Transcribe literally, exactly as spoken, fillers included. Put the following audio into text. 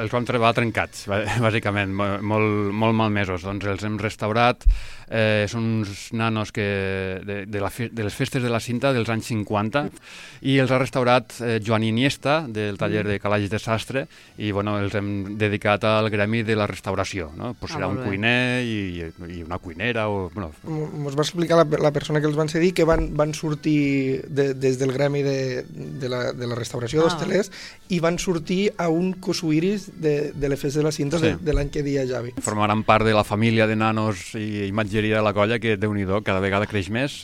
els vam trobar trencats, bàsicament, molt, molt malmesos. Doncs els hem restaurat, eh, són uns nanos que de, de, la, de les festes de la cinta dels anys cinquanta, i els ha restaurat eh, Joan Iniesta, del taller de calaix de sastre, i bueno, els hem dedicat al gremi de la restauració, no? Pues serà ah, un cuiner i, i una cuinera. O, bueno. Ens va explicar la, la persona que els van cedir que van, van sortir de, des del gremi de, de, la, de la restauració ah. d'hostelers i van sortir a un cosuiris de, de les festes de la cinta sí. de, de l'any que deia Javi. Formaran part de la família de nanos i imatgeria de la colla, que Déu-n'hi-do, cada vegada creix més.